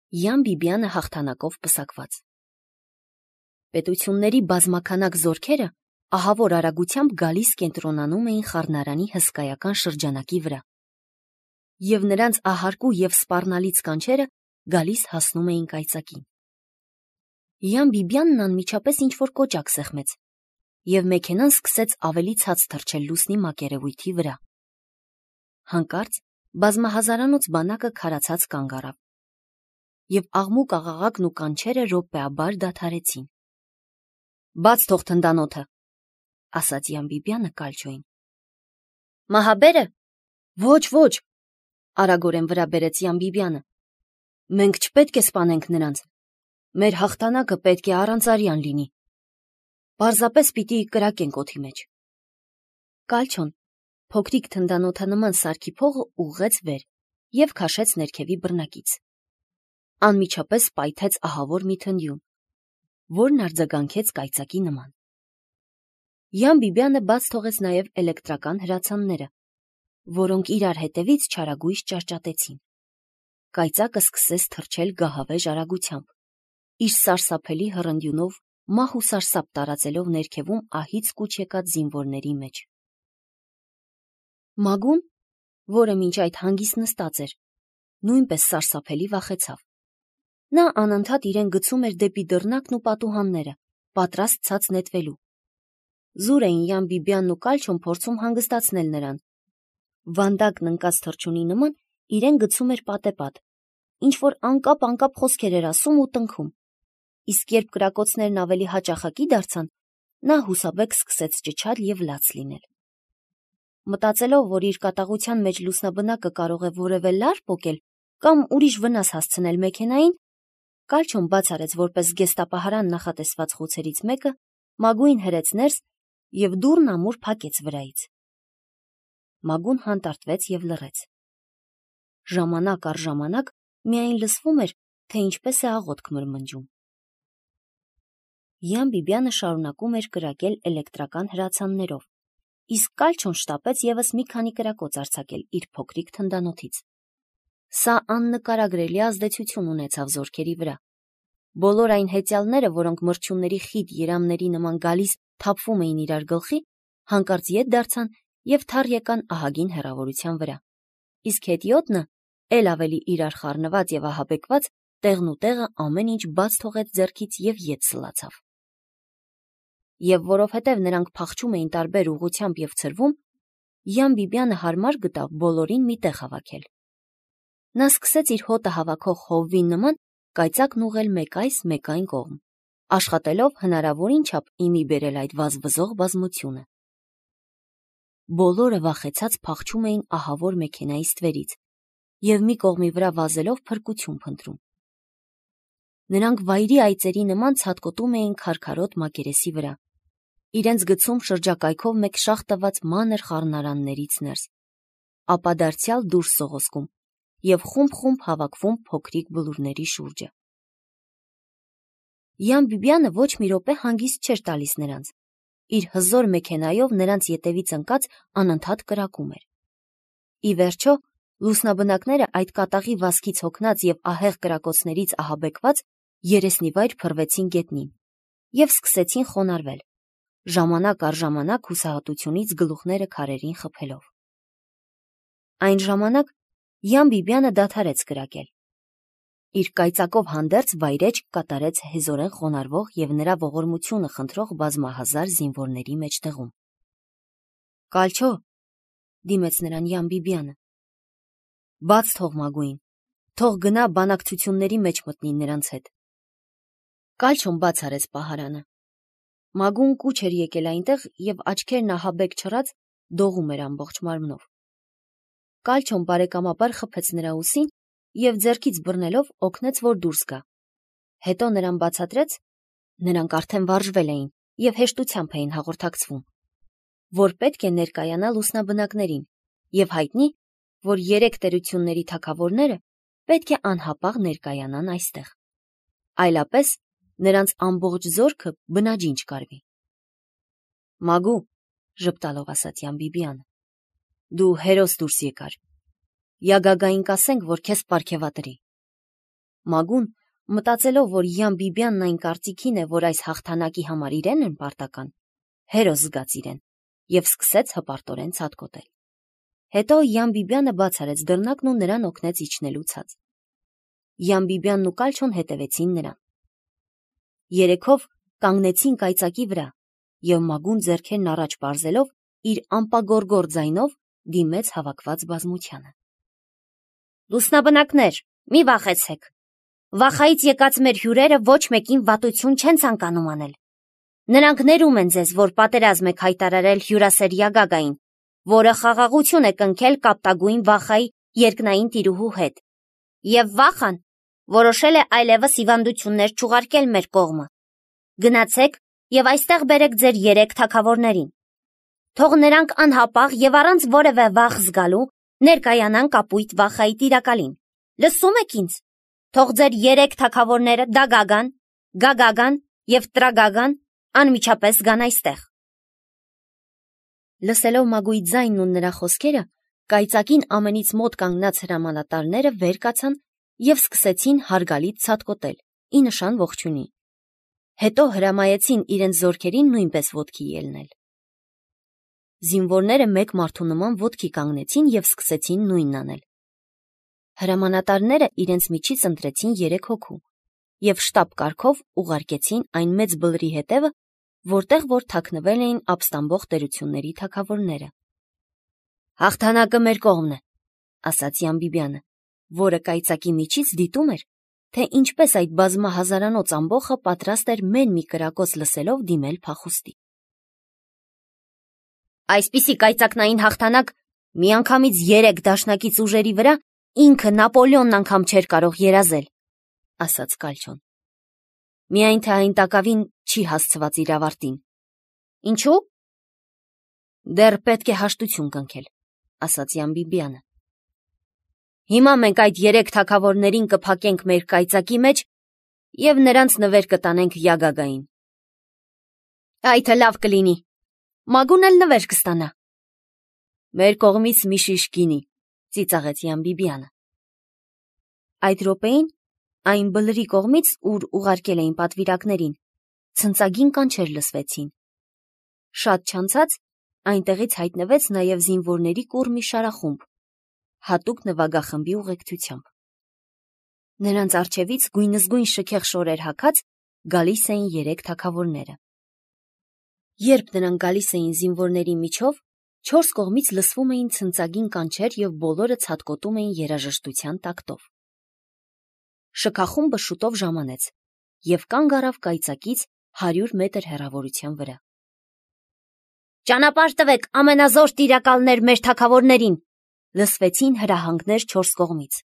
Յան Բիբյանը հաղթանակով պսակված։ Պետությունների բազմաքանակ զորքերը ահավոր արագությամբ գալիս կենտրոնանում էին խառնարանի հսկայական շրջանակի վրա, և նրանց ահարկու և սպառնալից կանչերը գալիս հասնում էին կայծակին։ Յան Բիբյանն անմիջապես ինչ-որ կոճակ սեղմեց, և մեքենան սկսեց ավելի ցած թռչել լուսնի մակերևույթի վրա։ Հանկարծ բազմահազարանոց բանակը քարացած կանգ առավ, և աղմուկ աղաղակն ու կանչերը րոպեաբար դադարեցին։ «Բաց թող թնդանոթը», ասաց Յան Բիբյանը Կալչոյին։ «Մահաբե՞րը»։ «Ոչ», արագորեն վրա բերեց Յան Բիբյանը։ «Մենք չպետք է սպանենք նրանց։ Մեր հաղթանակը պետք է առանց լինի։ Պարզապես պիտի կրակենք օդի մեջ»։ Կալչոն փոքրիկ թնդանոթանման սարքի փողը ուղղեց վեր և քաշեց ներքևի բռնակից։ Անմիջապես պայթեց ահավոր մի թնդյուն, որն արձագանքեց կայծակի նման։ Յան Բիբյանը բաց թողեց նաև էլեկտրական հրացանները, որոնք իրար հետևից չարագույժ ճարճատեցին։ Կայծակը սկսեց թռչել գահավեժ արագությամբ, իր սարսափելի հռնդյունով մահ ու սարսափ տարածելով ներքևում ահից կուչ եկած զինվորների մեջ։ Մագուն, որը մինչ այդ հանգիստ նստած էր, նույնպես սարսափելի վախեցավ։ Նա անընդհատ իրեն գցում էր դեպի դռնակն ու պատուհանները, պատրաստ ցած նետվելու։ Զուր էին Յան Բիբյանն ու Կալչոն փորձում հանգստացնել նրան։ Վանդակն ընկած թռչունի նման իրեն գցում էր պատեպատ, ինչ-որ անկապ խոսքեր էր ասում ու տնքում, իսկ երբ կրակոցներն ավելի հաճախակի դարձան, նա հուսաբեկ սկսեց ճչալ և լաց լինել։ Մտածելով, որ իր կատաղության մեջ լուսնաբնակը կարող է որևէ լար պոկել կամ ուրիշ վնաս հասցնել մեքենային, Կալչոն բաց արեց որպես զգեստապահարան նախատեսված խոցերից մեկը, Մագուին հրեց ներս և դուռն ամուր փակեց վրայից։ Մագուն հանդարտվեց և լռեց։ Ժամանակ առ ժամանակ միայն լսվում էր, թե ինչպես է աղոթք մրմնջում։ Յան Բիբյանը շարունակում էր կրակել էլեկտրական հրացաններով, իսկ Կալչոն շտապեց ևս մի քանի կրակոց արձակել իր փոքրիկ թնդանոթից։ Սա աննկարագրելի ազդեցություն ունեցավ զորքերի վրա։ Բոլոր այն հեծյալները, որոնք մրջյունների խիտ երամների նման գալիս թափվում էին իրար գլխի, հանկարծ ետ դարձան և թար եկան ահագին հեռավորության վրա, իսկ հետիոտնը, էլ ավելի իրար խառնված և ահաբեկված, տեղնուտեղը ամեն ինչ բաց թողեց ձեռքից և ետ սլացավ։ Եվ որովհետև նրանք փախչում էին տարբեր ուղղությամբ և ցրվում, Յան Բիբյանը հարմար գտավ բոլորին մի տեղ հավաքել։ Նա սկսեց իր հոտը հավաքող հովվի նման կայծակն ուղղել մեկ այս, մեկ այն կողմ, աշխատելով հնարավորին չափ իմի բերել այդ վազվզող բազմությունը։ Բոլորը վախեցած փախչում էին ահավոր մեքենայի ստվերից և մի կողմի վրա վազելով փրկություն փնտրում։ Նրանք վայրի այծերի նման ցատկոտում էին քարքարոտ մակերեսի վրա, իրենց գցում շրջակայքով մեկ շաղ տված մանր խառնարաններից ներս, ապա դարձյալ դուրս սողոսկում և խումբ հավաքվում փոքրիկ բլուրների շուրջը։ Յան Բիբյանը ոչ մի րոպե հանգիստ չէր տալիս նրանց, իր հզոր մեքենայով նրանց ետևից ընկած անընդհատ կրակում էր։ Ի վերջո, լուսնաբնակները այդ կատաղի վազքից հոգնած և ահեղ կրակոցներից ահաբեկված երեսնիվայր փռվեցին գետնին և սկսեցին խոնարհվել, ժամանակ առ ժամանակ հուսահատությունից գլուխները քարերին խփելով։ Այն ժամանակ Յան Բիբյանը դադարեց կրակել։ Իր կայծակով հանդերձ վայրէջք կատարեց հեզորեն խոնարհվող և նրա ողորմությունը խնդրող բազմահազար զինվորների մեջտեղում։ «Կալչո», դիմեց նրան Յան Բիբյանը, «բաց թող Մագուին, թող գնա բանակցությունների մեջ մտնի նրանց հետ»։ Կալչոն բաց արեց պահարանը։ Մագուն կուչ էր եկել այնտեղ և աչքերն ահաբեկ չռած դողում էր ամբողջ մարմնով։ Կալչոն բարեկամաբար խփեց նրա ուսին և ձեռքից բռնելով օգնեց, որ դուրս գա։ Հետո նրան բացատրեց (նրանք արդեն վարժվել էին և հեշտությամբ էին հաղորդակցվում), որ պետք է ներկայանա լուսնաբնակներին և հայտնի, որ 3 տերությունների թագավորները պետք է անհապաղ ներկայանան այստեղ։ Այլապես նրանց ամբողջ զորքը բնաջին չկարվի։ «Մագու», ժպտալով ասաց Յան Բիբյանը, «դու հերոս դուրս եկար։ Յագագային կասենք, որ քեզ պարգևատրի»։ Մագուն, մտածելով, որ Յան Բիբյանն այն կարծիքին է, որ այս հաղթանակի համար իրեն են պարտական, հերոս զգաց իրեն և սկսեց հպարտորեն ցատկոտել։ Հետո Յան Բիբյանը բաց արեց դռնակն ու նրան օգնեց իջնելու ցած։ Յան Բիբյանն ու Կալչոն հետևեցին նրան։ Երեքով կանգնեցին կայծակի վրա, և Մագուն ձեռքերն առաջ պարզելով իր ամպագորգոր ձայնով դիմեց հավաքված բազմությանը. «Լուսնաբնակներ, մի վախեցեք։ Վախայից եկած մեր հյուրերը ոչ մեկին վատություն չեն ցանկանում անել։ Նրանք ներում են ձեզ, որ պատերազմ եք հայտարարել հյուրասեր Յագագային, որը խաղաղություն է կնքել կապտագույն Վախայի երկնային տիրուհու հետ, և Վախան որոշել է այլևս հիվանդություններ չուղարկել մեր կողմը։ Գնացեք և այստեղ բերեք ձեր 3 թագավորներին։ Թող նրանք անհապաղ և առանց որևէ վախ զգալու ներկայանան կապույտ Վախայի տիրակալին։ Լսում եք ինձ։ Թող ձեր 3 թագավորները Դագագան, Գագագան և Տրագագան անմիջապես գան այստեղ»։ Լսելով Մագուի ձայնն ու նրա խոսքերը, կայծակին ամենից մոտ կանգնած հրամանատարները վեր կացան և սկսեցին հարգալից ցատկոտել, ի նշան ողջույնի։ Հետո հրամայեցին իրենց զորքերին նույնպես ոտքի ելնել։ Զինվորները մեկ մարդու նման ոտքի կանգնեցին և սկսեցին նույնն անել։ Հրամանատարները իրենց միջից ընտրեցին 3 հոգու և շտապ կարգով ուղարկեցին այն մեծ բլրի հետևը, որտեղ որ թաքնվել էին ապստամբող տերությունների թագավորները։ «Հաղթանակը մեր կողմն է», ասաց Յան Բիբյանը, որը կայծակի միջից դիտում էր, թե ինչպես այդ բազմահազարանոց ամբոխը պատրաստ էր մեն մի կրակոց լսելով դիմել փախուստի։ «Այսպիսի կայծակնային հաղթանակ միանգամից 3 դաշնակից ուժերի վրա ինքը Նապոլեոնն անգամ չէր կարող երազել», ասաց Կալչոն։ «Միայն թե այն տակավին չի հասցված իր ավարտին»։ «Ինչու՞։ Դեռ պետք է հաշտություն կնքել», ասաց Յան Բիբյանը։ «Հիմա մենք այդ 3 թագավորներին կփակենք մեր կայծակի մեջ և նրանց նվեր կտանենք Յագագային»։ «Այդը լավ կլինի, Մագուն էլ նվեր կստանա»։ «Մեր կողմից մի շիշ գինի», ծիծաղեց Յան Բիբյանը։ Այդ րոպեին այն բլրի կողմից, ուր ուղարկել էին պատվիրակներին, ցնծագին կանչեր լսվեցին։ Շատ չանցած այնտեղից հայտնվեց նաև զինվորների կուռ մի շարախումբ, հատուկ նվագախմբի ուղեկցությամբ։ Նրանց առջևից գույնզգույն շքեղ շորեր հագած գալիս էին 3 թագավորները։ Երբ նրանք գալիս էին զինվորների միջով, 4 կողմից լսվում էին ցնծագին կանչեր և բոլորը ցատկոտում էին երաժշտության տակտով։ Շքախումբը շուտով ժամանեց և կանգ առավ կայծակից 100 մետր հեռավորության վրա։ «Ճանապարհ տվեք ամենազոր տիրակալներ մեր թագավորներին», լսվեցին հրահանգներ 4 կողմից։